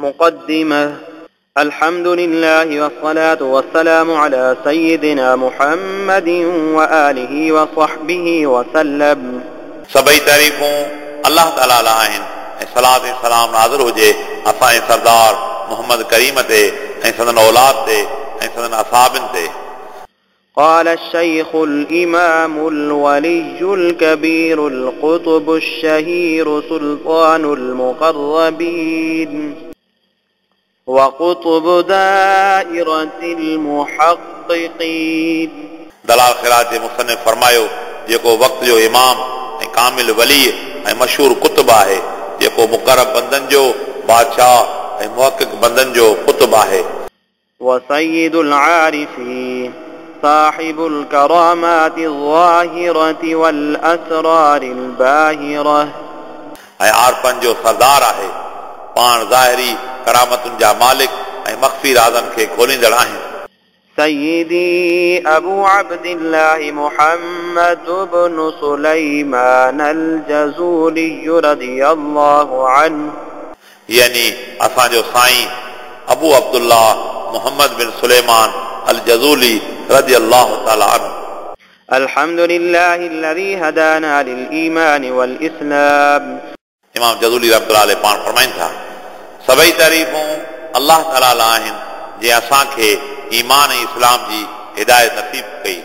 مقدمة. الحمد لله والصلاة والسلام على سيدنا محمد وآله وصحبه وسلم. सभई तारीफ़ूं अलाह ताला लाइ आहिनि ऐं सलात ऐं सलाम नाज़िल हुजे असांजे सरदार मोहम्मद करीम ते ऐं संदन औलाद ते ऐं संदन असाबिन ते। قال الشيخ الإمام الولي الكبير القطب الشهير سلطان المقربين وقطب دائرة المحققين. दलाल ख़िरात जे मुसन्निफ़ फरमायो, जेको वक़्त जो इमाम ऐं कामिल वली ऐं मशहूर कुतुब आहे, जेको मुक़रब बंदनि जो बादशाह ऐं मुहक़िक़ बंदनि जो कुतुब आहे। وسيد العارفين صاحب الكرامات الظاهرة والأسرار الباهرة. ऐं आरफनि जो सरदार आहे, पाण ज़ाहिरी करामतुनि जा मालिक ऐं मख़फ़ी राज़नि खे खोलींदड़ आहिनि। سيدي أبو عبد الله محمد بن سليمان الجزولي رضي الله عنه. यानी असांजो साईं अबू अब्दुल्लाह मोहम्मद बिन सुलेमान अल जज़ूली रज़ी अल्लाह ताला अन्हु। الحمد لله الذي هدانا للإيمان والإسلام. इमाम जज़ूली रहमतुल्लाह अलैह पाण फरमाइनि था, सभई तारीफ़ूं अलाह ताला लाइ आहिनि जंहिं असांखे ईमान ऐं इस्लाम जी हिदायत नसीब कई।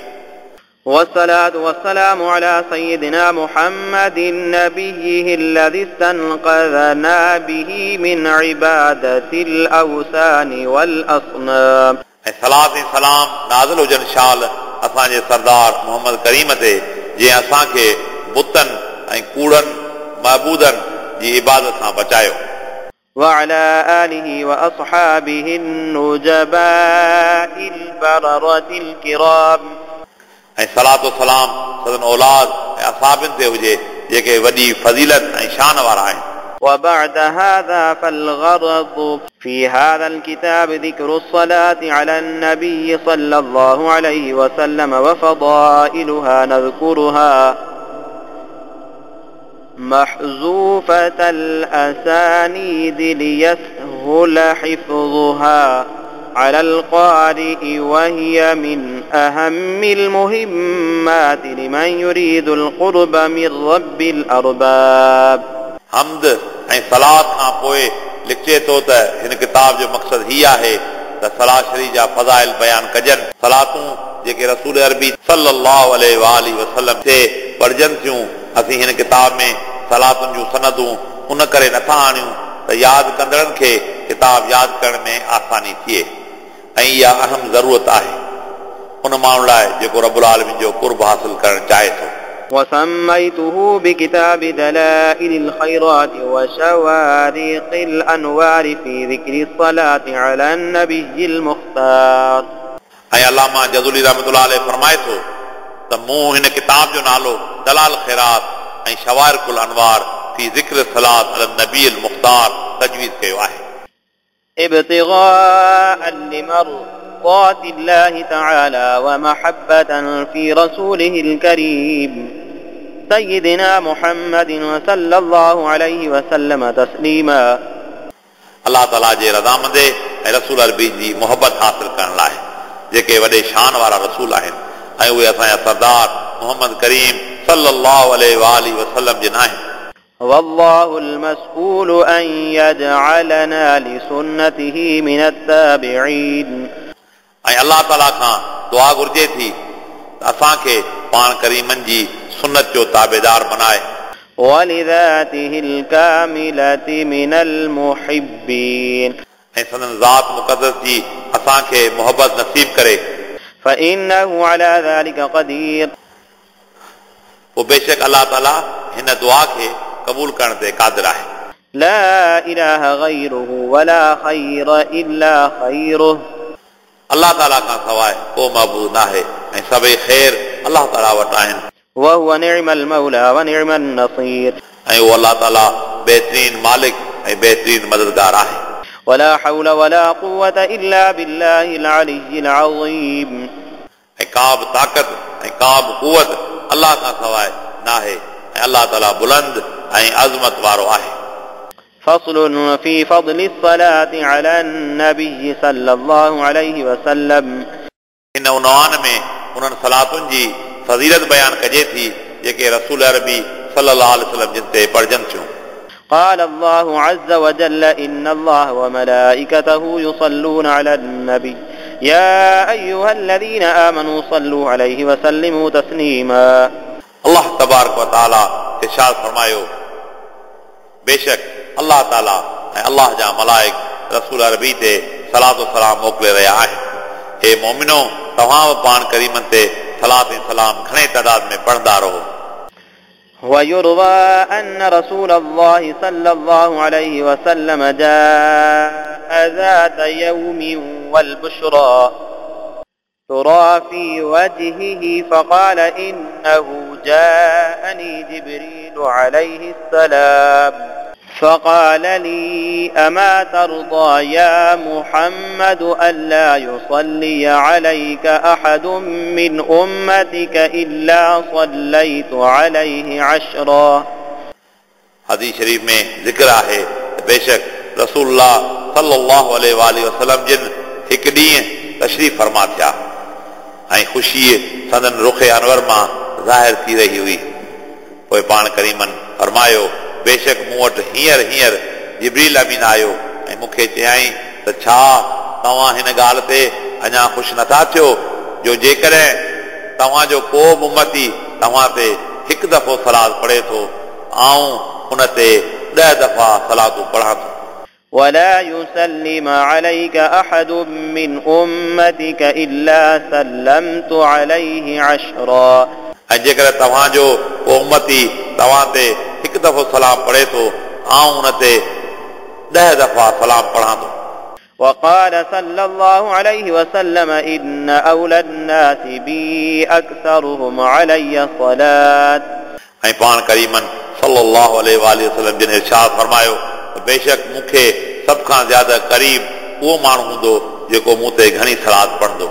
والصلاة والسلام على سيدنا محمد نبيه الذي استنقذنا به من عبادة الأوثان والأصنام. ऐं सलात ऐं सलाम नाज़िल हुजनि शाल असांजे सरदार मोहम्मद करीम ते, जंहिं असांखे बुतनि ऐं कूड़नि महबूदनि जी इबादत खां बचायो। وعلى آله وأصحابه النجباء البررة الكرام. ऐं सलात सलाम सदन औलाद ऐं असाबिनि ते हुजे जेके वॾी फ़ज़ीलत ऐं शान वारा आहिनि। وبعد هذا فالغرض في هذا الكتاب ذكر الصلاة على النبي صلى الله عليه وسلم وفضائلها نذكرها محذوفة الأسانيد ليسهل حفظها على القارئ، وهي من أهم المهمات لمن يريد القرب من رب الأرباب. हम्द ऐं सलात खां पोइ लिखिजे थो त हिन किताब जो मक़सदु हीउ आहे त सलाह शरीफ़ जा फ़ज़ाइल बयानु कजनि। सलातूं जेके रसूल अरबी सल्लल्लाहु अलैहि वसल्लम ते पढ़जनि थियूं, असीं हिन किताब में सलातुनि जूं सनदूं उन करे नथा आणियूं त यादि कंदड़नि खे किताब यादि करण में आसानी थिए ऐं इहा अहम ज़रूरत आहे उन माण्हू लाइ जेको रबुल आलमीन जो कुर्ब हासिल करणु चाहे थो। وسميته بكتاب دلائل الخيرات وشوارق الأنوار في ذكر الصلاة على النبي المختار. ऐं अलामा जज़ूली रहमतुल्लाह अलैह फरमाए थो त मूं हिन किताब जो नालो दलाल ख़ैरात ऐं शवारिकुल अनवार फी ज़िक्र सलात अल नबी अल मुख्तार तजवीज़ कयो आहे। ابتغاء لمرضات الله تعالى ومحبة في رسوله الكريم سيدنا محمد صلى الله عليه وسلم تسليما. अलाह ताला जे रज़ामंदे ऐं रसूल अरबी जी मोहबत हासिल करण लाइ जेके वॾे शान वारा रसूल आहिनि ऐं उहे असांजा सरदार मोहम्मद करीम सल्लल्लाहु अलैहि वसल्लम जिन आहिनि। والله المسؤول أن يجعلنا لسنته من التابعين. ऐं अलाह ताला खां दुआ घुर्जे थी त असांखे पाण करीमनि जी सुन्नत जो ताबेदार बनाए। ولذاته الكاملة من المحبين. ऐं संदन ज़ात मुक़दस जी असांखे मोहबत नसीब करे। فإنه على ذلك قدير. पोइ बेशक अलाह ताला हिन दुआ खे क़बूल करण ते क़ादिर आहे। لا إله غيره ولا خير إلا خيره. अलाह ताला खां सवाइ को महबूद न आहे ऐं सभई ख़ैर अलाह ताला वटि आहिनि। وهو نعم المولى ونعم النصير. ऐं उहो अलाह ताला बहितरीन मालिक ऐं बहितरीन मददगार आहे। ولا حول ولا قوة إلا بالله العلي العظيم. ऐं का बि ताक़त ऐं का बि कुवत अलाह खां सवाइ न आहे ऐं अलाह ताला बुलंद ऐं अज़मत वारो आहे। فصل في فضل الصلاة على النبي صلى الله عليه وسلم. हिन उनवान में उन्हनि सलातुनि जी फ़ज़ीलत बयानु कजे थी जेके रसूल अरबी सल्लल्लाहु अलैहि वसल्लम जिन ते पढ़जनि थियूं। قال الله عز وجل إن الله وملائكته يصلون على النبي يا أيها الذين آمنوا صلوا عليه وسلموا تسليما. अल्लाह तबारक व तआला इरशाद फरमायो, बेशक अल्लाह ताला ऐं अल्लाह जा मलाइक रसूल अरबी ते सलात सलाम मोकिले रहिया आहिनि। हे मोमिनो, तव्हां बि पाण करीमनि ते सलात ऐं सलाम घणे तादाद में पढ़ंदा रहो। ويروى أن رسول الله صلى الله عليه وسلم جاء ذات يوم والبشرى ترى في وجهه فقال إنه جاءني جبريل عليه السلام فقال لي أما ترضى يا محمد ألا يصلي عليك أحد من أمتك إلا صليت عليه عشرا. हदीस शरीफ में ज़िक्र आहे त बेशक रसूलुल्लाह सल्लल्लाहु अलैहि वसल्लम जिन हिकु ॾींहुं तशरीफ़ फरमा थिया ऐं ख़ुशी संदन रुख अनवर मां ज़ाहिर थी रही हुई। पोइ पाण करीमनि फरमायो, बेशक मूं वटि हींअर हींअर जिब्रील अमीन आयो ऐं मूंखे चयाईं त छा तव्हां हिन ॻाल्हि ते अञा ख़ुशि नथा थियो जो जेकॾहिं तव्हांजो को बि उम्मती तव्हां ते हिकु दफ़ो सलाद पढ़े थो, आउं उन ते 10 दफ़ा सलातूं पढ़ां थो। ولا يسلم عليك أحد من أمتك إلا سلمت عليه عشرا. ऐं जेकॾहिं तव्हांजो को उम्मती तव्हां ते हिकु दफ़ो सलाम पढ़े थो, आउं उन ते 10 दफ़ा सलाम पढ़ां थो। وقال صلى الله عليه وسلم إن أولى الناس بي أكثرهم علي صلاة. ऐं पाण करीमनि सल्लल्लाहु अलैहि वसल्लम जिन इरशाद फरमायो त बेशक मूंखे सभ खां ज़्यादा क़रीब उहो माण्हू हूंदो जेको मूं ते घणी सलात पढ़ंदो।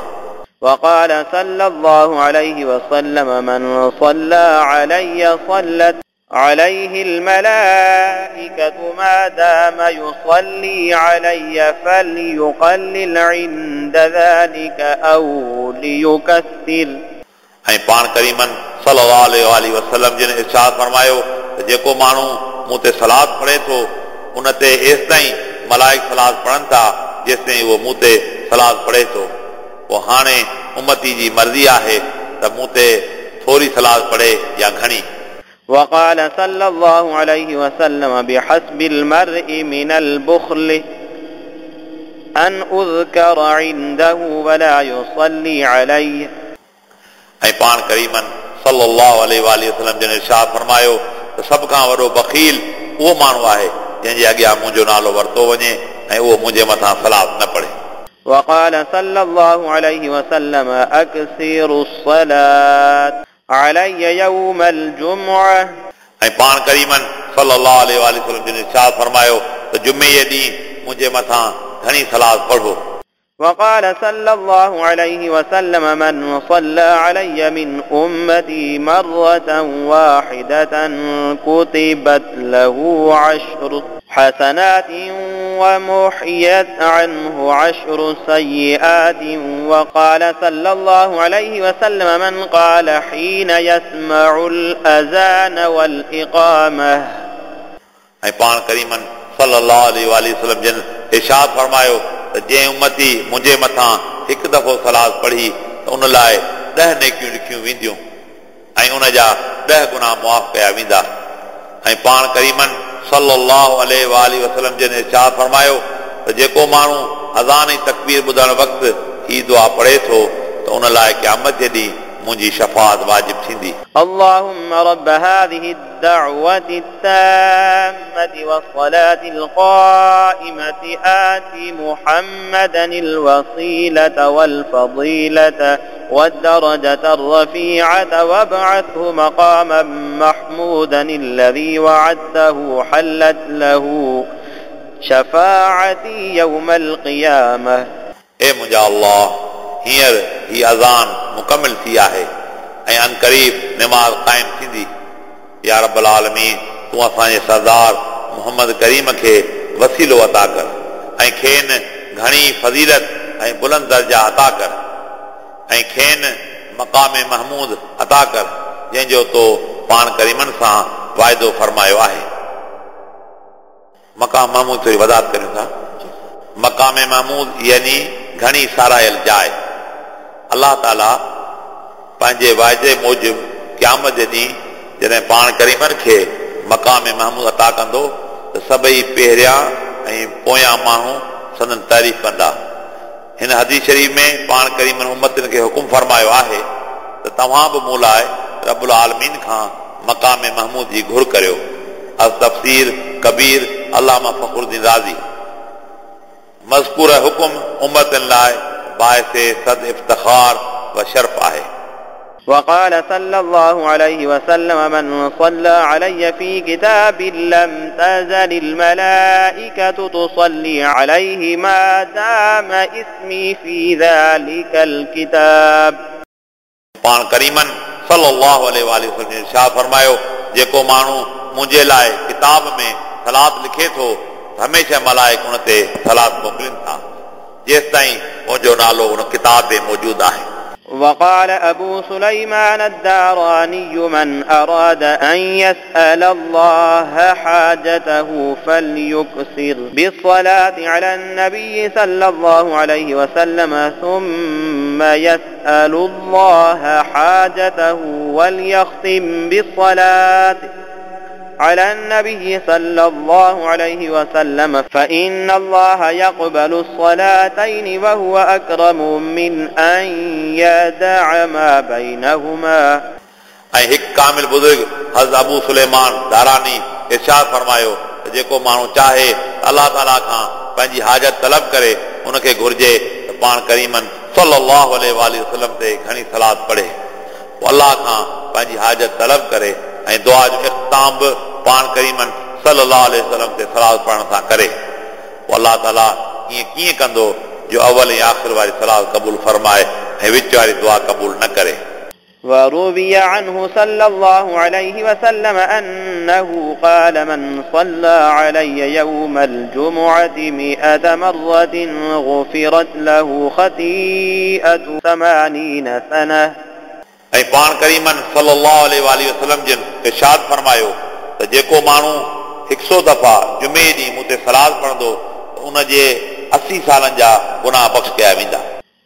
وقال صلى الله عليه وسلم من صلى علي صلت عليه الملائكة ما دام يصلي علي فليقلل عند ذلك أو ليكثر. ऐं पाण करीमनि सल्लल्लाहु अलैहि वसल्लम जिन इरशाद फरमायो त जेको माण्हू मूं ते सलात पढ़े थो उन ते एसि ताईं मलाइक सलात पढ़नि था जेसि ताईं उहो मूं ते सलात पढ़े थो। पोइ हाणे उम्मती जी मर्ज़ी आहे त मूं ते थोरी सलात पढ़े या घणी। وقال صلى الله عليه وسلم بحسب المرء من البخل أن أذكر عنده ولا يصلي عليه. ऐं पाण करीमनि सल्लल्लाहु अलैहि वसल्लम जिन इरशाद फरमायो त सभ खां वॾो बख़ील उहो माण्हू आहे जंहिंजे अॻियां मुंहिंजो नालो वरितो वञे ऐं उहो मुंहिंजे मथां सलात न पढ़े। وقال صلى الله عليه وسلم أكثروا الصلاة علي يوم الجمعة. ऐं पाण करीमनि सल्लल्लाहु अलैहि वसल्लम जिन इरशाद फरमायो त जुमे जे ॾींहुं मुंहिंजे मथां घणी सलात पढ़ो। وقال صلى الله عليه وسلم من صلى علي من أمتي مرة واحدة كتبت له 10 حسنات ومحيت عنه 10 سيئات. وقال صلى الله عليه وسلم من قال حين يسمع الأذان والإقامة. ऐं पाण करीमनि सल्लल्लाहु अलैहि वसल्लम जिन इरशाद फरमायो त जंहिं उम्मती मुंहिंजे मथां हिकु दफ़ो सलात पढ़ी त उन लाइ 10 नेकियूं लिखियूं वेंदियूं ऐं उन जा 10 गुनाह मुआफ़ कया वेंदा। ऐं पाण करीमनि सल्लल्लाहु अलैहि वसल्लम जिन इरशाद फरमायो त जेको माण्हू अज़ान ऐं तकबीर ॿुधण वक़्तु ही दुआ पढ़े थो त उन लाइ क़यामत जे ॾींहुं मुंहिंजी शफ़ाअत वाजिब थींदी। اللهم رب هذه الدعوة التامة والصلاة القائمة آت محمدا الوسيلة والفضيلة والدرجة الرفيعة وابعثه مقاما محمودا الذي وعدته حلت له شفاعتي يوم القيامة. ए मुंहिंजा अल्लाह, हींअर ही अज़ान मुकमिल थी आहे ऐं अनक़रीब निमाज़ क़ाइम थींदी। या रब्बुल आलमीन, तूं असांजे सरदार मुहम्मद करीम खे वसीलो अता कर ऐं खेनि घणी फ़ज़ीलत ऐं बुलंद दर्जा अता कर ऐं खेनि मक़ाम महमूद अता कर जंहिंजो तो पाण करीमनि सां वाइदो फरमायो आहे। मक़ाम महमूद थोरी वज़ाहत करियूं था। मक़ाम महमूद यानी घणी सारायल जाइ। अलाह ताला पंहिंजे वाइदे मूजिबि क़यामत जे ॾींहुं जॾहिं पाण करीमनि खे मक़ाम महमूद अता कंदो त सभई पहिरियां ऐं पोयां माण्हू संदन तारीफ़ कंदा। हिन हदीस शरीफ़ में पाण करीमनि उम्मतियुनि खे हुकुम फरमायो आहे त तव्हां बि मूं लाइ रबुल आलमीन खां मक़ाम महमूद जी घुर करियो। अल तफ़सीर कबीर अलामा फ़ख़रुद्दीन राज़ी। मज़कूर हुकुम उम्मतियुनि लाइ बाइस सद इफ्तिखार व शर्फ़ आहे। وقال صلى الله عليه وسلم من صلى علي في كتاب لم تزل الملائكة تصلي عليه ما دام اسمي في ذلك الكتاب. पाण करीमन सल्लल्लाहु अलैहि वसल्लम इरशाद फरमायो जेको माण्हू मुंहिंजे लाइ किताब में सलात लिखे थो हमेशह मलाइक उन ते सलात मोकिलिनि था जेसि ताईं मुंहिंजो नालो उन किताब में मौजूदु आहे। وقال أبو سليمان الداراني من أراد أن يسأل الله حاجته فليكثر بالصلاة على النبي صلى الله عليه وسلم ثم يسأل الله حاجته وليختم بالصلاة على النبي صلى الله عليه وسلم فإن الله يقبل الصلاتين وهو أكرم من أن يدع ما بينهما. ऐं हिकु कामिल बुज़ुर्ग हज़रत अबू सुलेमान दारानी इरशाद फरमायो त जेको माण्हू चाहे अलाह ताला खां पंहिंजी हाजत तलब करे उनखे घुर्जे त पाण करीमन सल्लल्लाहु अलैहि वसल्लम ते घणी सलात पढ़े, पोइ अलाह खां पंहिंजी हाजत तलब करे ऐं दुआ जो इख़्तिताम बि पाण करीमन सल्लल्लाहु अलैहि वसल्लम ते सलात पढ़ण सां करे। पोइ अलाह ताला ईअं कीअं कंदो जो अवल ऐं आख़िर वारी सलात क़बूल फरमाए ऐं विच वारी दुआ क़बूल न करे। وروي عنه صلى الله عليه وسلم أنه قال من صلى علي يوم الجمعة 100 مرة غفرت له خطيئة 80 سنة. ऐं पाण करीमन सल्लल्लाहु अलैहि वसल्लम जिन इरशाद फरमायो त जेको माण्हू 100 दफ़ा जुमे ॾींहुं मूं ते सलात पढ़ंदो त उन जे 80 सालनि जा गुनाह बख़्श कया वेंदा।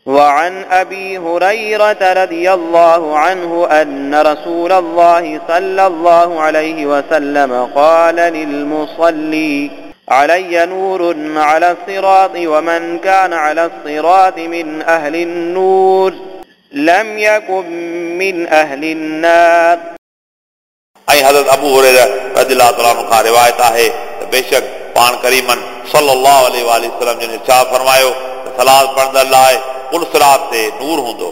وعن أبي هريرة رضي الله عنه أن رسول الله صلى الله عليه وسلم قال للمصلي علي نور على الصراط ومن كان على الصراط من أهل النور لم يكن من أهل النار. ऐं हज़रत अबू हुरैरा रज़ियल्लाहु तआला अन्हु खां रिवायत आहे त बेशक पाण करीमन सल्लल्लाहु अलैहि वसल्लम जिन इरशाद फरमायो त सलात पढ़ंदड़ लाइ पुल सिरात ते नूर हूंदो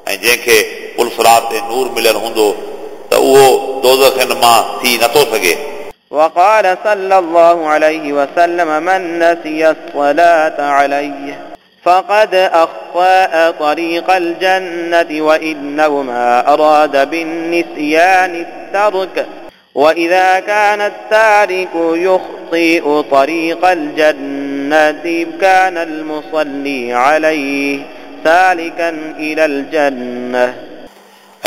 ऐं जंहिंखे पुल सिरात ते नूर मिलियल हूंदो त उहो दोज़ख़नि मां थी नथो सघे। وقال صلى الله عليه وسلم من نسي الصلاة عليه فقد أخطأ طريق الجنة وإنهما أراد بالنسيان الترك وإذا كان التارك يخطئ طريق الجنة كان المصلي عليه سالكا إلى الجنة.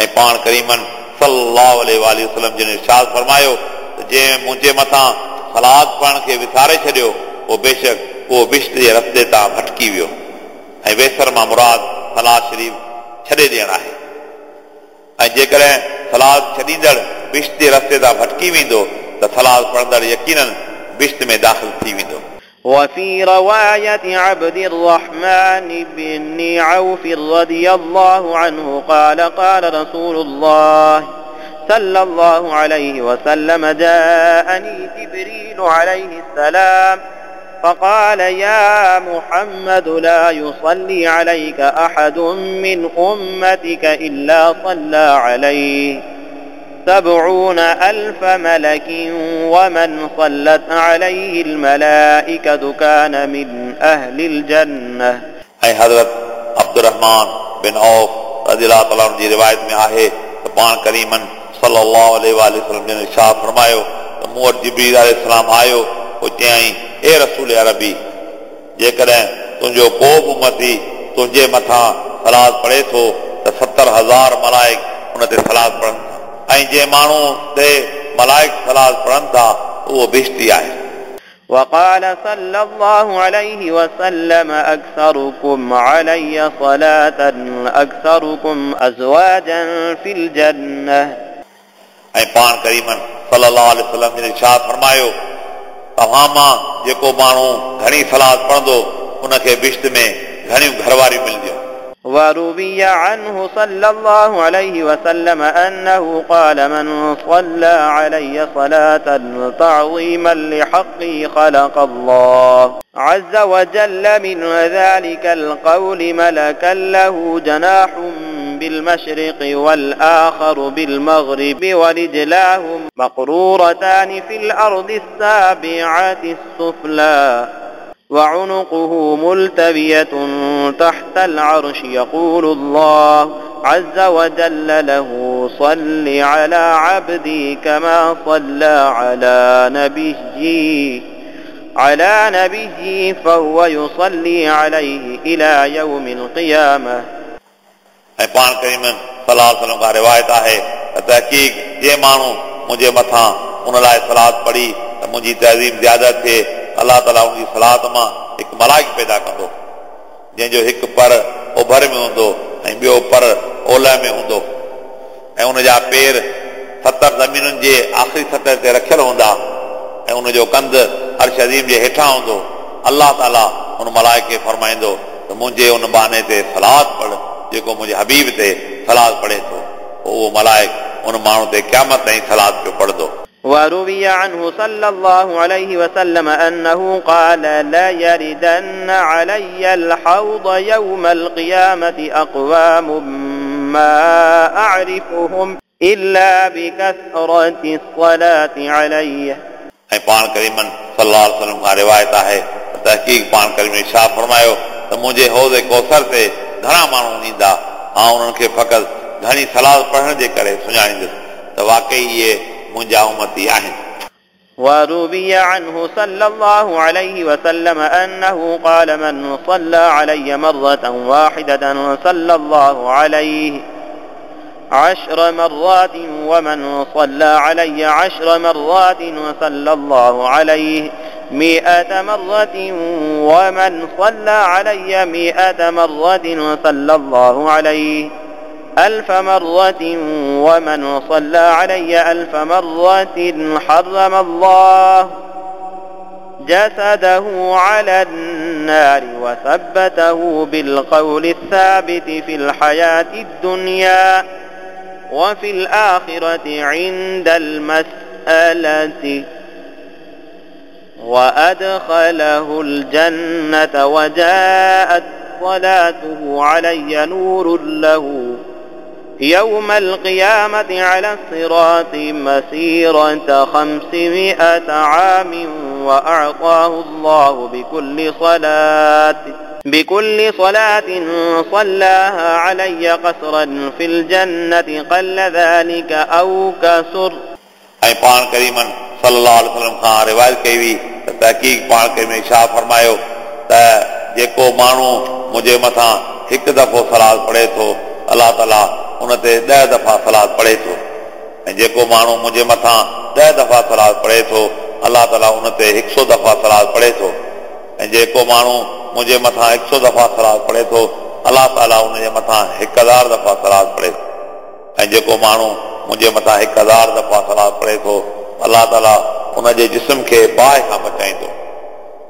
ऐं पाण करीमन सल्लल्लाहु अलैहि वसल्लम जिन इरशाद फरमायो त जंहिं मुंहिंजे मथां सलात पढ़ण खे विसारे छॾियो उहो बेशक उहो बिश्त जे रस्ते तां भटकी वियो। ऐं वेसर मां मुराद सलात शरीफ़ छॾे ॾियणु आहे ऐं जेकॾहिं सलात छॾींदड़ बिश्त जे रस्ते तां भटकी वेंदो त सलात पढ़ंदड़ यकीनन बिश्त में दाख़िल थी वेंदो। وفي رواية عبد الرحمن بن عوف رضي الله عنه قال قال رسول الله صلى الله عليه وسلم جاءني جبريل عليه السلام فقال يا محمد لا يصلي عليك أحد من أمتك إلا صلى عليه 70,000 ملك ومن صلت عليه الملائكة كان من أهل الجنة. ऐं हज़रत अब्दुर्रहमान बिन औफ रज़ियल्लाहु तआला अन्हु जी रिवायत में आहे त पाण करीमन सल्लल्लाहु अलैहि वसल्लम जिन इरशाद फरमायो त त मूं वटि जिब्रील अलैहिस्सलाम आयो, पोइ चयाईं, ए रसूल अरबी, जेकॾहिं तुंहिंजो को बि उमती तुंहिंजे मथां सलात पढ़े थो त 70,000 मलाइक उन ते सलात पढ़नि था ऐं जंहिं माण्हू ते मलाइक सलात पढ़नि था उहो बिश्ती आहे। وقال صلى الله عليه وسلم أكثركم علي صلاة أكثركم أزواجا في الجنة. ऐं पाण करीमन सल्लल्लाहु अलैहि वसल्लम जिन इरशाद फरमायो, तव्हां मां जेको माण्हू घणी सलात पढ़ंदो उनखे बिश्त में घणियूं घरवारियूं मिलंदियूं। وروي عنه صلى الله عليه وسلم أنه قال من صلى علي صلاة تعظيما لحقي خلق الله عز وجل من ذلك القول ملكا له جناح بالمشرق والآخر بالمغرب ورجلاه مقرورتان في الأرض السابعة السفلى وعنقه ملتوية تحت العرش يقول الله عز وجل له صل على عبدي كما صلى على نبيي فهو يصلي عليه إلى يوم القيامة. ऐं पाण करीम सलाह वसल्लम खां रिवायत आहे त तहक़ीक़ जंहिं माण्हू मुंहिंजे मथां उन लाइ सलात पढ़ी त मुंहिंजी तज़ीम ज़्यादा थिए, अलाह ताला उनजी सलात मां हिकु मलाइक पैदा कंदो जंहिंजो हिकु पर उभर में हूंदो ऐं ॿियो पर ओलह में हूंदो ऐं उनजा पेर 70 ज़मीनुनि जे आख़िरी सतह ते रखियल हूंदा ऐं उनजो कंध अर्श अज़ीम जे हेठां हूंदो। अलाह ताला उन मलाइक खे फरमाईंदो त मुंहिंजे उन बाने ते सलात पढ़ जेको मुंहिंजे हबीब ते सलात पढ़े थो, उहो मलाइक उन माण्हू ते क़यामत ताईं सलात पियो पढ़ंदो। وروي عنه صلى الله عليه وسلم أنه قال لا يردن علي الحوض يوم القيامة أقوام ما أعرفهم إلا بكثرة الصلاة علي. ऐं पाण करीमन सल्लल्लाहु अलैहि वसल्लम खां रिवायत आहे त तहक़ीक़ पाण करीम इरशाद फरमायो त मुंहिंजे हौज़ कौसर ते घणा माण्हू ईंदा, आउं उन्हनि खे फ़क़ति घणी सलाह पढ़ण जे करे सुञाणींदुसि त वाकई इहे मुंहिंजा उमती आहिनि। وروي عنه صلى الله عليه وسلم أنه قال من صلى علي مرة واحدة صلى الله عليه 10 مرات ومن صلى علي 10 مرات صلى الله عليه 100 مرة ومن صلى علي 100 مرة صلى الله عليه 1000 مرة ومن صلى علي 1000 مرة حرم الله جسده على النار وثبته بالقول الثابت في الحياة الدنيا وفي الآخرة عند المسألة وأدخله الجنة وجاءت صلاته علي نور له يوم القيامة على الصراط مسيرة 500 عام وأعطاه الله بكل صلاة صلاها علي قصرا في الجنة قل ذلك أو كسر. ऐं पाण करीमन सल्लल्लाहु अलैहि वसल्लम खां रिवायत कई हुई त तहक़ीक़ पाण करीम इरशाद फरमायो त जेको माण्हू मुंहिंजे मथां हिकु दफ़ो सलात पढ़े थो अलाह ताला उन ते 10 दफ़ा सलात पढ़े थो ऐं जेको माण्हू मुंहिंजे मथां 10 दफ़ा सलात पढ़े थो अलाह ताला उन ते 100 दफ़ा सलात पढ़े थो ऐं जेको माण्हू मुंहिंजे मथां 100 दफ़ा सलात पढ़े थो अलाह ताला उनजे मथां 1000 दफ़ा सलात पढ़े थो ऐं जेको माण्हू मुंहिंजे मथां 1000 दफ़ा सलात पढ़े थो अलाह ताला उनजे जिस्म खे बाहि खां बचाईंदो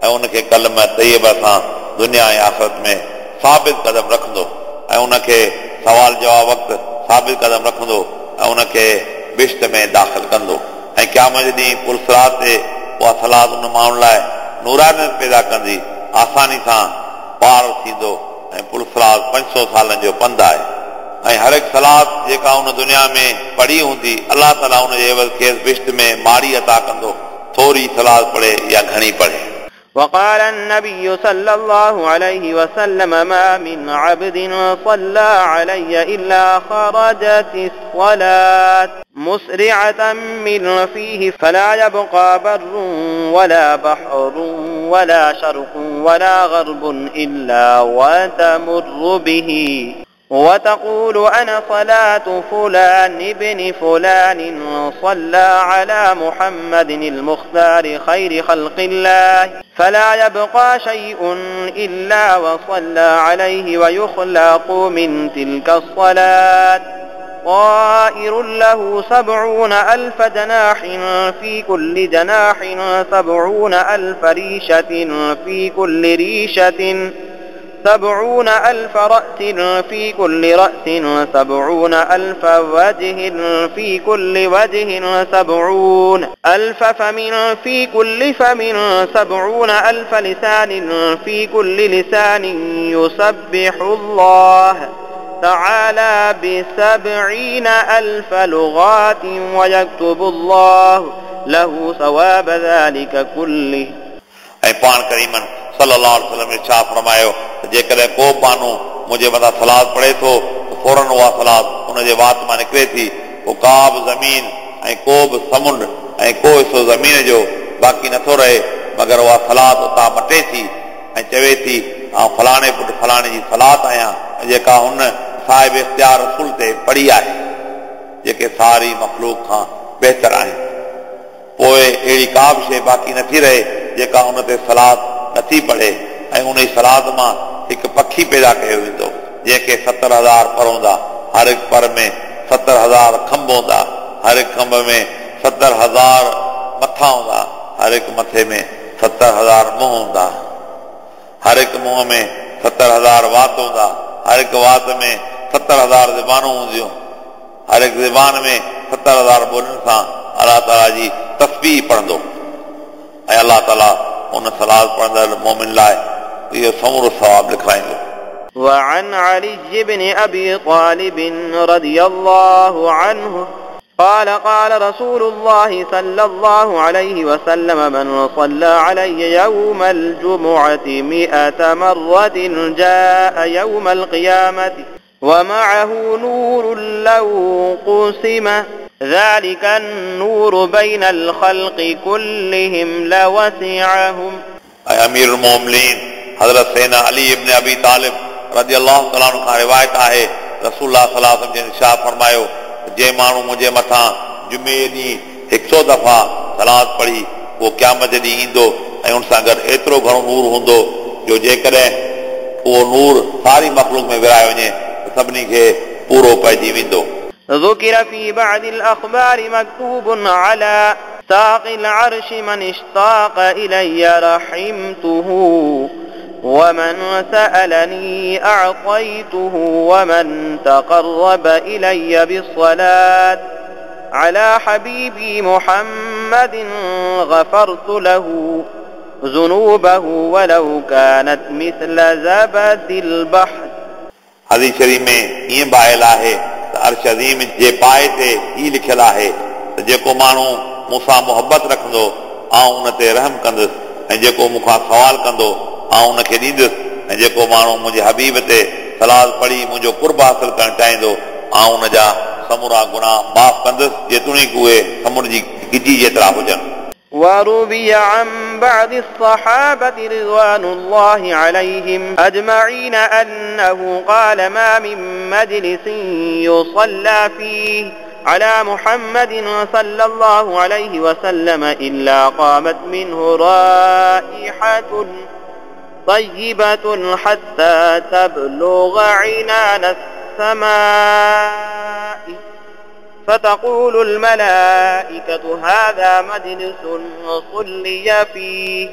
ऐं उनखे कलम तैयब सां दुनिया ऐं आख़िरत में साबित कदम रखंदो ऐं उनखे सवाल जवाब वक़्तु साबित कदम रखंदो ऐं उनखे बिश्त में दाख़िल कंदो ऐं क़यामत ॾींहुं पुलसरात ते उहा सलात उन माण्हुनि लाइ नूरानियत पैदा कंदी, आसानी सां पार थींदो ऐं पुलसरात 500 सालनि जो पंधु आहे ऐं हर हिकु सलात जेका उन दुनिया में पढ़ी हूंदी अलाह ताला उन जे एवज़ खेसि बिश्त में माड़ी अता कंदो, थोरी सलात पढ़े या घणी पढ़े। وقال النبي صلى الله عليه وسلم ما من عبد صلى علي إلا خرجت الصلاة مسرعة من فيه فلا يبقى بر ولا بحر ولا شرق ولا غرب إلا وتمر به وتقول أنا صلاة فلان ابن فلان صلى على محمد المختار خير خلق الله فلا يبقى شيء إلا وصلى عليه ويخلق من تلك الصلاة طائر له 70,000 جناح في كل جناح 70,000 ريشة في كل ريشة 70,000 رأس في كل رأس 70,000 وجه في كل وجه 70,000 فم في كل فم 70,000 لسان في كل لسان يسبح الله تعالى ب70,000 لغات ويكتب الله له ثواب ذلك كله. ऐं पाण करीमन सल्लल्लाहु अलैहि वसल्लम इरशाद फरमायो त जेकॾहिं को बानो मुंहिंजे मथां सलाद पढ़े थो त फ़ौरन उहा सलाद उनजे वात मां निकिरे थी, पोइ का बि ज़मीन ऐं को बि समुंड ऐं को हिसो ज़मीन जो बाक़ी नथो रहे, मगर उहा सलाद उतां मटे थी ऐं चवे थी आउं फलाणे पुट फलाणे जी सलाद आहियां जेका हुन साहिब इख़्तियार रसूल ते पढ़ी आहे, जेके सारी मख़लूक खां बहितर आहिनि। पोइ अहिड़ी का बि शइ बाक़ी नथी रहे जेका उन ते सलाद नथी पढ़े ऐं उन सलाद मां हिकु पखी पैदा कयो वेंदो जंहिंखे 70,000 पर हूंदा, हर हिकु पर में 70,000 खंब हूंदा, हर हिकु खंब में 70,000 मथा हूंदा, हर हिकु मथे में 70,000 मुंहुं हूंदा, हर हिकु मुंहं में 70,000 वात हूंदा, हर हिकु वात में 70,000 ज़बानूं हूंदियूं, हर हिकु ज़बान में 70,000 ॿोलियुनि सां अलाह ताला जी तस्बीह पढ़ंदो ऐं अलाह ताला उन सलाद पढ़ंदड़ मोमिन लाइ इहो समूरो सवाब लिखाईंदो। وعن علي بن أبي طالب رضي الله عنه قال قال رسول الله صلى الله عليه وسلم من صلى علي يوم الجمعة 100 مرة جاء يوم القيامة ومعه نور لو قسم ذلك النور بين الخلق كلهم لوسعهم. ऐं अमीर मोमिनीन हज़रत सैना अली इब्न अबी तालिब रज़ी अल्लाह तआला अन्हु खां रिवायत आहे, रसूलुल्लाह सल्लल्लाहु अलैहि वसल्लम जन इरशाद फरमायो जंहिं माण्हू मुंहिंजे मथां जुमे ॾींहुं 100 दफ़ा सलाद पढ़ी उहो क़यामत जे ॾींहुं ईंदो ऐं उन सां गॾु एतिरो घणो नूर हूंदो जो जेकॾहिं उहो नूर सारी मख़लूक में विराए वञे त सभिनी खे पूरो पइजी वेंदो। ذكر في بعض الأخبار مكتوب على ساق العرش من اشتاق إلي رحمته ومن سألني أعطيته ومن تقرب إلي بالصلاة على حبيبي محمد غفرت له ذنوبه ولو كانت مثل زبد البحر. हदीस शरीफ़ में ईअं बि आयल आहे त अर्श अज़ीम जे पाए ते ई लिखियलु आहे त जेको माण्हू मूंसां मुहबत रखंदो आउं उन ते रहम कंदुसि ऐं जेको मूंखां सवाल कंदो आउं उनखे ॾींदुसि ऐं जेको माण्हू मुंहिंजे हबीब ते सलाद पढ़ी मुंहिंजो कुर्ब हासिल करणु चाहींदो आउं उन जा समूरा गुनाह माफ़ कंदुसि जेतोणीकि उहे समुंड जी गिजी जेतिरा हुजनि। وروي عن بعض الصحابة رضوان الله عليهم أجمعين أنه قال ما من مجلس يصلى فيه على محمد صلى الله عليه وسلم إلا قامت منه رائحة طيبة حتى تبلغ عنان السماء فتقول الملائكة هذا مجلس صلي فيه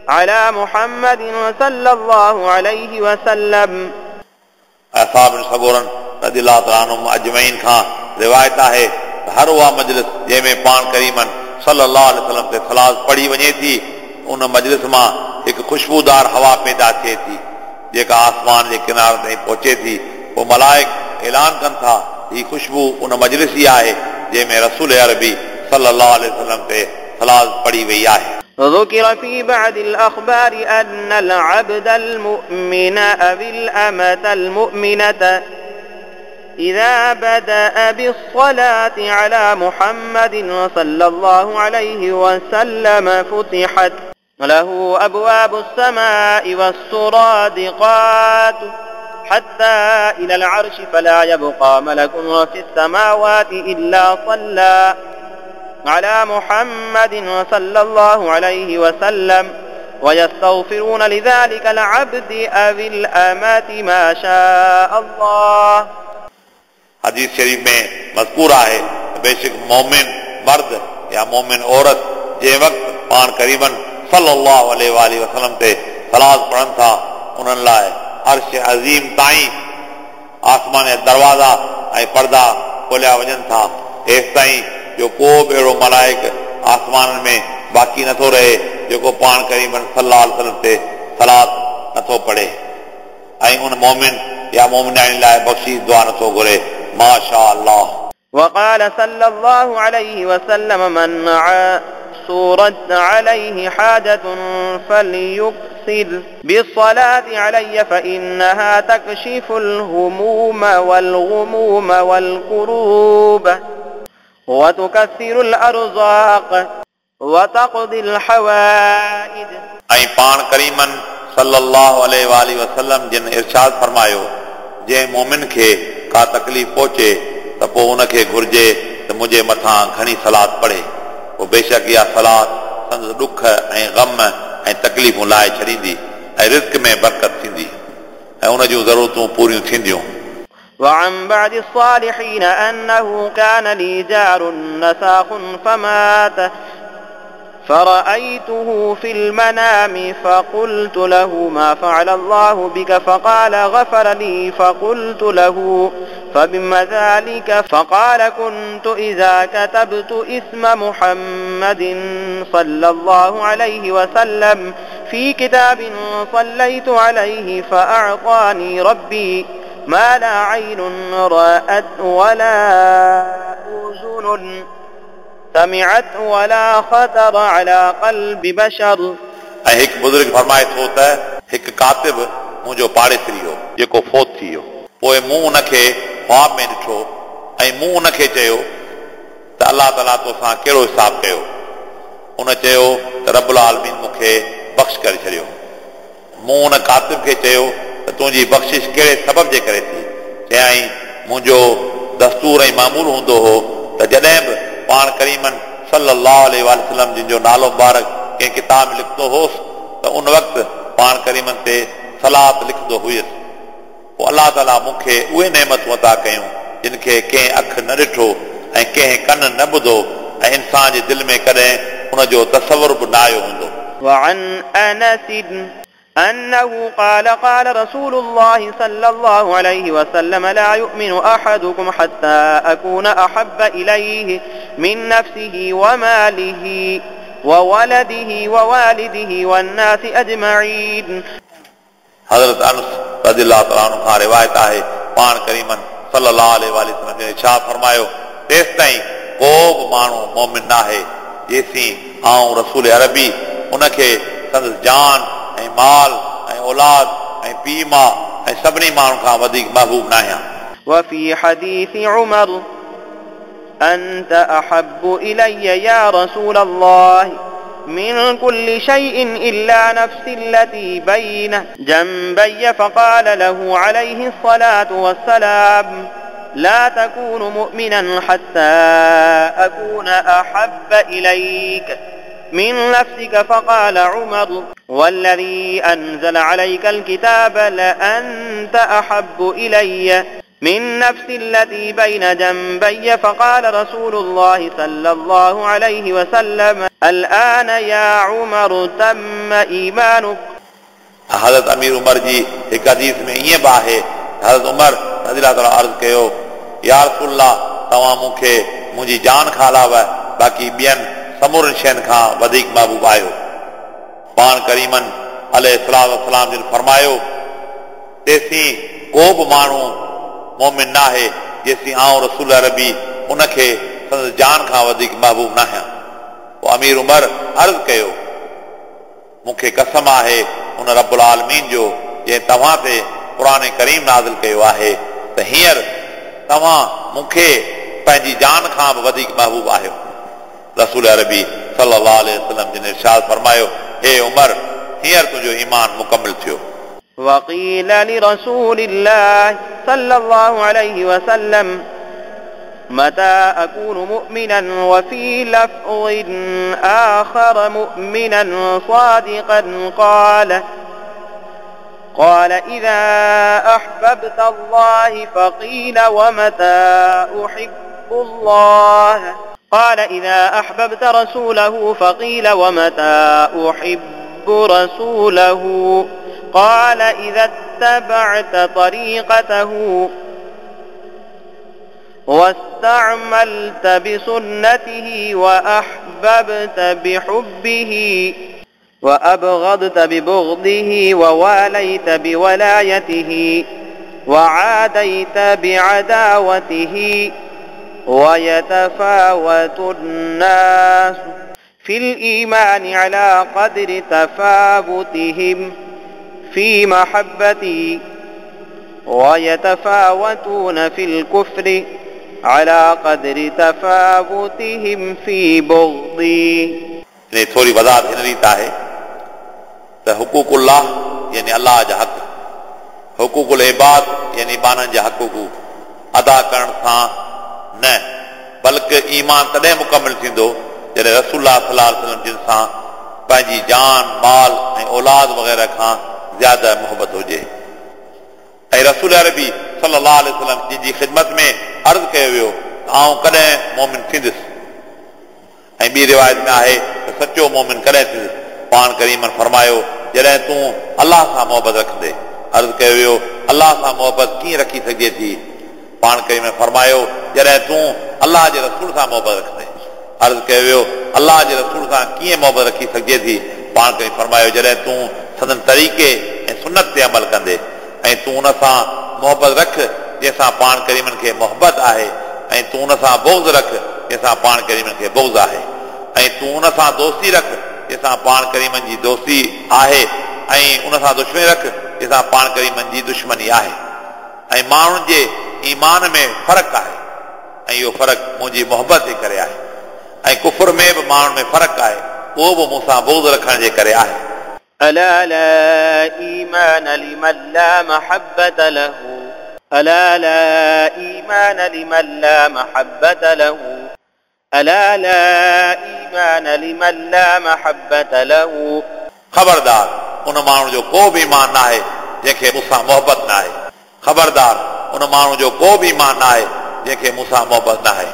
على محمد صلى الله عليه وسلم. أصحاب सगोरनि रज़ी अल्लाह तआला अन्हुम अजमईन खां रिवायत आहे हर उहा मजलिस जंहिंमें पाण करीमनि सल्लल्लाहु अलैहि वसल्लम ते सलाद पढ़ी वञे थी उन मजलिस मां हिकु ख़ुशबूदार हवा पैदा थिए थी जेका आसमान जे किनारे ताईं पहुचे थी। पोइ मलाइक ऐलान कनि था ही ख़ुशबू उन मजलिस जी आहे जंहिंमें रसूल अरबी सल्लल्लाहु अलैहि वसल्लम ते सलाद पढ़ी वई आहे। ذكر في بعض الأخبار أن العبد المؤمن أو الأمة المؤمنة إذا بدأ بالصلاة على محمد صلى الله عليه وسلم فتحت له أبواب السماء والسرادقات حتى إلى العرش، فلا يبقى ملك في السماوات إلا صلى على محمد صلى الله عليه وسلم، ويستغفرون لذلك العبد أو الأمة ما شاء الله. हदीस शरीफ में मज़कूर आहे बेशक मोमिन मर्द या मोमिन औरत जंहिं वक़्तु पाण करीबन सल्लल्लाहु अलैहि वसल्लम ते सलात पढ़नि था, उन्हनि लाइ अर्श अज़ीम ताईं आसमान जा दरवाज़ा ऐं पर्दा खोलिया वञनि था, एसि ताईं जो को बि अहिड़ो मलाइक आसमाननि में बाक़ी नथो रहे जेको पाण करीबन सल्लल्लाहु अलैहि वसल्लम ते सलात नथो पढ़े ऐं उन मोमिन या मोमिनानी लाइ बख़्शिश दुआ नथो घुरे। माशा अल्लाह। وقال صلى الله عليه وسلم من عسرت عليه حاجة فليكثر بالصلاة علي فإنها تكشف الهموم والغموم والكروب وتكثر الأرزاق وتقضي الحوائج. ऐं पाण करीमन सल्लल्लाहु अलैहि वसल्लम जिन इरशाद फरमायो, जंहिं मोमिन खे का तकलीफ़ पहुचे त पोइ उनखे घुर्जे त मुंहिंजे मथां घणी सलात पढ़े, पोइ बेशक इहा सलात संदसि ॾुख ऐं ग़म ऐं तकलीफ़ूं लाहे छॾींदी ऐं रिज़्क में बरकत थींदी ऐं उन जूं ज़रूरतूं पूरियूं थींदियूं। وعن بعض الصالحين أنه كان لي جار نساخ فمات فرأيته في المنام فقلت له ما فعل الله بك، فقال غفر لي، فقلت له فبما ذلك، فقال كنت إذا كتبت اسم محمد صلى الله عليه وسلم في كتاب صليت عليه فأعطاني ربي ما لا عين رأت ولا أذن سمعت ولا خطر على قلب بشر. ऐं हिकु बुज़ुर्ग फरमाए थो त हिकु कातिब मुंहिंजो पाड़ेसरी हो जेको फौत थी वियो, पोइ मूं उनखे ख़्वाब में ॾिठो ऐं मूं उनखे चयो त अलाह ताला तोसां कहिड़ो हिसाब कयो? उन चयो त रबुल आलमीन मूंखे बख़्श करे छॾियो। मूं उन कातिब खे चयो त तुंहिंजी बख़्शिश कहिड़े सबब जे करे थी? चयाईं मुंहिंजो दस्तूर ऐं मामूल हूंदो हो त जॾहिं बि पाण करीमन सल्लल्लाहु अलैहि वसल्लम जिन जो नालो मुबारक कंहिं किताब में लिखंदो होसि त उन वक़्तु पाण करीमन ते सलात लिखंदो हुयुसि। पोइ अलाह ताला मूंखे उहे नेमतूं अता कयूं जिन खे कंहिं अखि न ॾिठो ऐं कंहिं कन न ॿुधो ऐं इंसान जे दिलि में कॾहिं उनजो तसवुर बि न आयो हूंदो। وعن أنس أنه قال قال رسول الله صلى الله عليه وسلم لا يؤمن أحدكم حتى أكون أحب إليه من نفسه وماله وولده ووالده والناس أجمعين. हज़रत अनस रज़ी अल्लाह तआला अन्हु खां रिवायत आहे पाण करीमन सल्लल्लाहु अलैहि वसल्लम जिन छा फरमायो, तेसि ताईं को बि माण्हू मोमिन न आहे जेसीं आउं रसूल अरबी उनखे संदसि जान ऐं माल ऐं औलाद ऐं पीउ माउ ऐं सभिनी माण्हुनि खां वधीक महबूब न आहियां। وفي حديث عمر أنت أحب إلي يا رسول الله من كل شيء إلا نفسي التي بين جنبي، فقال له عليه الصلاة والسلام لا تكون مؤمنا حتى أكون أحب إليك من نفسك، فقال عمر والذي أنزل عليك الكتاب لأنت أحب إلي من نفسي التي بين جنبي، فقال رسول الله صلى الله عليه وسلم الآن يا عمر تم إيمانك. हज़रत अमीर उमर जी हिकु हदीस में ईअं बि आहे, हज़रत उमर रज़ी अल्लाह तआला अर्ज़ कयो, या रसूलुल्लाह तव्हां मूंखे मुंहिंजी जान खां अलावा बाक़ी ॿियनि समूरनि शयुनि खां वधीक महबूब आहियो। पाण करीमन अलैहिस्सलाम जिन फरमायो, तेसीं को बि माण्हू मोमिन न आहे जेसीं आउं रसूल अरबी उनखे संदसि जान खां वधीक महबूब न आहियां। पोइ अमीर उमर अर्ज़ कयो, मूंखे कसम आहे उन रबुल आलमीन जो जंहिं तव्हां ते क़ुर करीम नाज़िल कयो आहे त हींअर तव्हां मूंखे पंहिंजी जान खां बि वधीक महबूब आहियो। रसूल अरबी सल्लल्लाहु अलैहि वसल्लम जिन इरशाद फरमायो, हे उमर, हींअर तुंहिंजो ईमान मुकमिल थियो। وقيل لرسول الله صلى الله عليه وسلم متى أكون مؤمنا وفي لفظ آخر مؤمنا صادقا قال إذا أحببت الله فقيل ومتى أحب الله قال إذا أحببت رسوله فقيل ومتى أحب رسوله قال إذا اتبعت طريقته واستعملت بسنته وأحببت بحبه وأبغضت ببغضه وواليت بولايته وعاديت بعداوته ويتفاوت الناس في الإيمان على قدر تفاوتهم في محبتي ويتفاوتون في الكفر على قدر تفاوتهم في بغضي. इन थोरी वज़ाहत हिन रीति आहे त हुकूकुल्लाह यानी अल्लाह जा हक़, हुकूकुल इबाद यानी ॿारनि जा हक़ अदा करण सां न, बल्कि ईमान तॾहिं मुकमिल थींदो जॾहिं रसूलुल्लाह सल्लल्लाहु अलैहि वसल्लम जिन सां पंहिंजी जान, माल ऐं औलाद वग़ैरह खां ज़्यादा मोहबत हुजे। ऐं रसूल अरबी सल्लल्लाहु अलैहि वसल्लम जिन जी ख़िदमत में अर्ज़ कयो वियो आउं कॾहिं मोमिन थींदुसि। ऐं ॿी रिवायत में आहे त सचो मोमिन कॾहिं थींदुसि। पाण करीमन फरमायो, जॾहिं तूं अल्लाह सां मोहबत रखंदे। अर्ज़ कयो वियो, अल्लाह सां मोहबत कीअं रखी सघिजे थी? पाण करीमन फरमायो, जॾहिं तूं अल्लाह जे रसूल सां मोहबत रखंदे। अर्ज़ कयो वियो, अल्लाह जे रसूल सां कीअं मोहबत रखी सघिजे थी? पाण करीम फरमायो, जॾहिं तूं संदन तरीक़े ऐं सुनत ते अमल कंदे ऐं तूं उन सां मोहबत रख जंहिंसां पाण करीमन खे मोहबत आहे, ऐं तूं उन सां बुग़्ज़ रख जंहिंसां पाण करीमन खे बुग़्ज़ आहे, ऐं तूं उन सां दोस्ती रख जंहिंसां पाण करीमन जी दोस्ती आहे, ऐं उन सां दुश्मनी रख जंहिंसां पाण करीमन जी दुश्मनी आहे। ऐं माण्हुनि जे ईमान में फ़र्क़ु आहे ऐं इहो फ़र्क़ु मुंहिंजी मोहबत जे करे आहे, ऐं कुफर में बि माण्हुनि में फ़र्क़ु आहे, उहो बि मूंसां बुग़्ज़ रखण जे करे आहे। ألا لا إيمان لمن لا محبة له ألا لا إيمان لمن لا محبة له ألا لا إيمان لمن لا محبة له. ख़बरदार उन माण्हू जो को बि ईमान न आहे जंहिंखे मूंसां मोहबत न आहे। ख़बरदार उन माण्हू जो को बि ईमान न आहे जंहिंखे मूंसां मोहबत न आहे।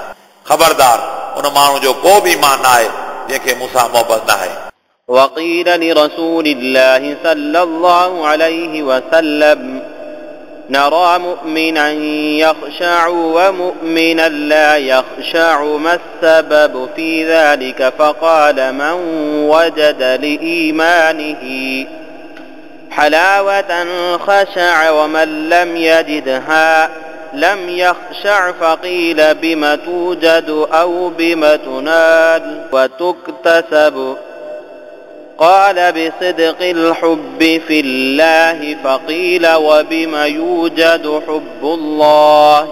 ख़बरदार उन माण्हू जो को बि ईमान न आहे जंहिंखे मूंसां मोहबत न आहे। وقيل لرسول الله صلى الله عليه وسلم نرى مؤمنا يخشع ومؤمنا لا يخشع ما السبب في ذلك؟ فقال من وجد لإيمانه حلاوة خشع ومن لم يجدها لم يخشع. فقيل بم توجد أو بم تنال وتكتسب؟ قال بصدق الحب في الله. فقيل وبم يوجد حب الله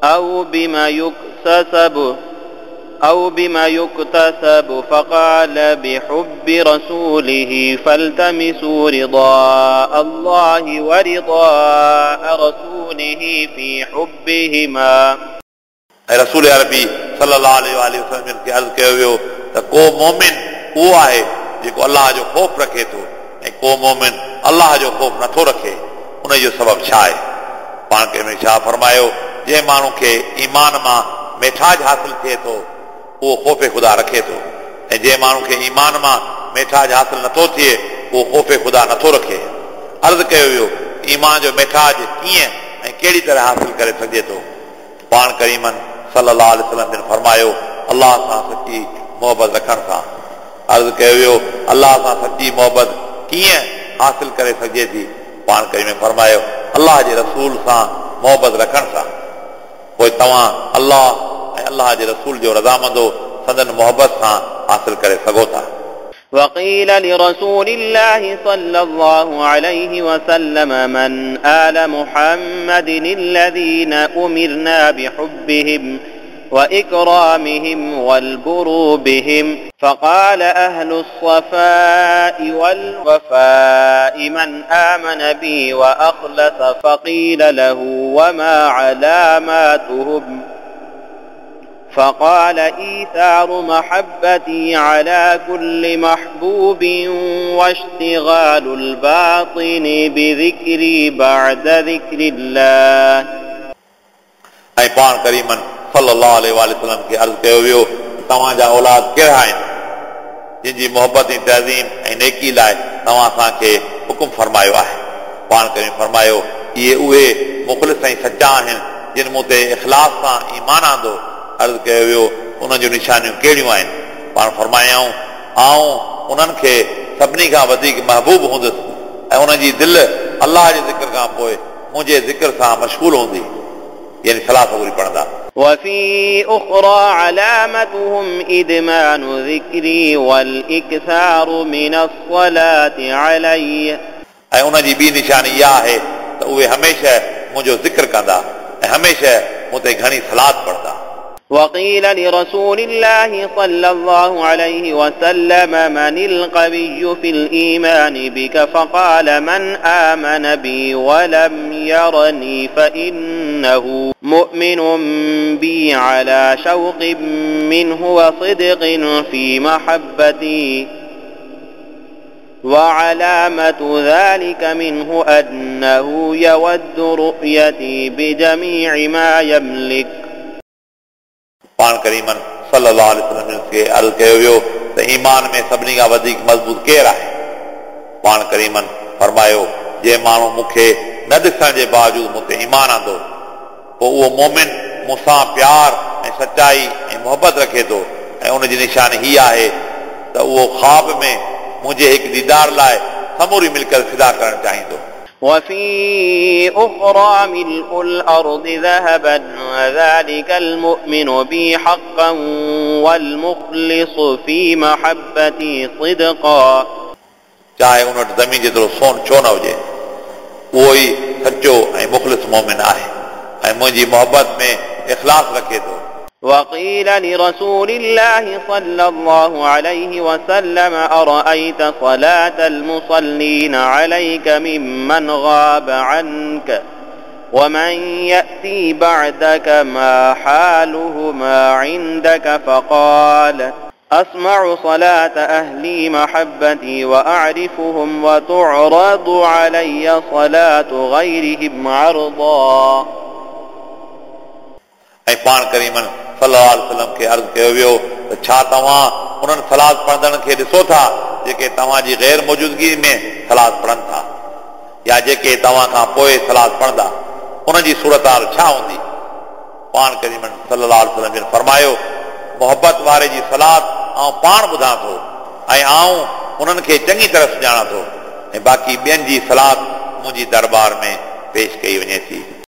أو بم يكتسب؟ فقال بحب رسوله فالتمسوا رضاء الله ورضاء رسوله في حبهما. रसूल अरबी सल्लल्लाहु अलैहि वसल्लम खे अर्ज़ कयो वियो त को मोमिन उहो आहे जेको अल्लाह जो ख़ौफ़ रखे थो ऐं को मोमिन अल्लाह जो ख़ौफ़ नथो रखे, उन जो सबबु छा आहे? पाण खे छा फरमायो, जंहिं माण्हू खे ईमान मां मिठाज हासिल थिए थो उहो ख़ौफ़ ख़ुदा रखे थो, ऐं जंहिं माण्हू खे ईमान मां मिठाज हासिल नथो थिए उहो ख़ौफ़ ख़ुदा नथो रखे। अर्ज़ कयो वियो, ईमान जो मिठाज कीअं ऐं कहिड़ी तरह हासिल करे सघिजे थो? पाण करीमन सल्लल्लाहु अलैहि वसल्लम जिन फरमायो, अल्लाह सां सची मोहबत रखण सां। अर्ज़ कयो वियो, अल्लाह सां सची मोहबत कीअं हासिल करे सघिजे थी? पाण करीम फरमायो, अल्लाह जे रसूल सां मोहबत रखण सां। पोइ तव्हां अल्लाह ऐं अल्लाह जे रसूल जो रज़ामंदो संदन मोहबत सां हासिल करे सघो था। وقيل لرسول الله صلى الله عليه وسلم من آل محمد الذين أمرنا بحبهم وإكرامهم والبر بهم؟ فقال أهل الصفاء والوفاء من آمن بي وأخلص. فقيل له وما علاماتهم؟ فقال إيثار محبتي على كل محبوب واشتغال الباطن بذكري بعد ذكر الله. ऐं पाण करीमनि सल्लल्लाहु अलैहि वसल्लम खे अर्ज़ु कयो वियो तव्हांजा औलाद कहिड़ा आहिनि जिन जी मोहबत ऐं तज़ीम ऐं नेकी लाइ तव्हां असांखे हुकुम फरमायो आहे। पाण करीम फरमायो इहे उहे मुख़लिस ऐं सचा आहिनि जिन मूं ते इख़लास सां ईमान आंदो। अर्ज़ु कयो वियो उन्हनि जूं निशानियूं कहिड़ियूं आहिनि? पाण फरमायाऊं आउं उन्हनि खे सभिनी खां वधीक महबूब हूंदुसि ऐं उन्हनि जी दिलि अलाह जे ज़िक्र खां पोइ मुंहिंजे ज़िक्र सां मशगूल हूंदी, यानी सलाह पूरी पढ़ंदा। وفي أخرى علامتهم إدمان ذكري والإكثار من الصلاة علي. ऐं उन्हनि जी ॿी निशानी इहा आहे त उहे हमेशह मुंहिंजो ज़िक्र कंदा ऐं हमेशह मूं ते घणी सलात पढ़ंदा। وقيل لرسول الله صلى الله عليه وسلم من القوي في الإيمان بك؟ فقال من آمن بي ولم يرني فإنه مؤمن بي على شوق منه وصدق في محبتي، وعلامة ذلك منه أنه يود رؤيتي بجميع ما يملك. पाण करीमनि सल्लल्लाहु अलैहि वसल्लम खे अर्ज़ु कयो वियो त ईमान में सभिनी खां वधीक मज़बूत केरु आहे? पाण करीमनि फरमायो जंहिं माण्हू मूंखे न ॾिसण जे बावजूदु मूं ते ईमान आंदो पोइ उहो मोमिन मूंसां प्यार ऐं सचाई ऐं मोहबत रखे थो ऐं उनजी निशानी हीअ आहे त उहो ख़्वाब में मुंहिंजे हिकु दीदार लाइ समूरी मिल्कियत फिदा करणु चाहींदो। وفي أخرى ملء الأرض ذهبا وذلك المؤمن بي حقا والمخلص في محبتي صدقا. चाहे उन वटि ज़मीन जेतिरो सोन छो न हुजे, उहो ई सचो ऐं मुख़लिस मोमिन आहे ऐं मुंहिंजी मोहबत में इख़लास रखे थो। وقيل لرسول الله صلى الله عليه وسلم أرأيت صلاة المصلين عليك ممن غاب عنك ومن يأتي بعدك ما حالهما عندك؟ فقال أسمع صلاة أهلي محبتي وأعرفهم وتعرض علي صلاة غيرهم عرضا. ऐं पाण करीमनि सल्लल्लाहु अलैहि वसल्लम खे अर्ज़ु कयो वियो त छा तव्हां उन्हनि सलात पढ़ंदड़नि खे ॾिसो था जेके तव्हांजी ग़ैर मौजूदगी में सलात पढ़नि था या जेके तव्हां खां पोइ सलात पढ़ंदा, उन्हनि जी सूरत हाल छा हूंदी? पाण करीमनि सल्लल्लाहु अलैहि वसल्लम जन फरमायो मोहबत वारे जी सलात आउं पाण ॿुधां थो ऐं आउं उन्हनि खे चङी तरह सुञाणां थो ऐं बाक़ी ॿियनि जी सलात मुंहिंजी दरबार में पेश कई वञे थी।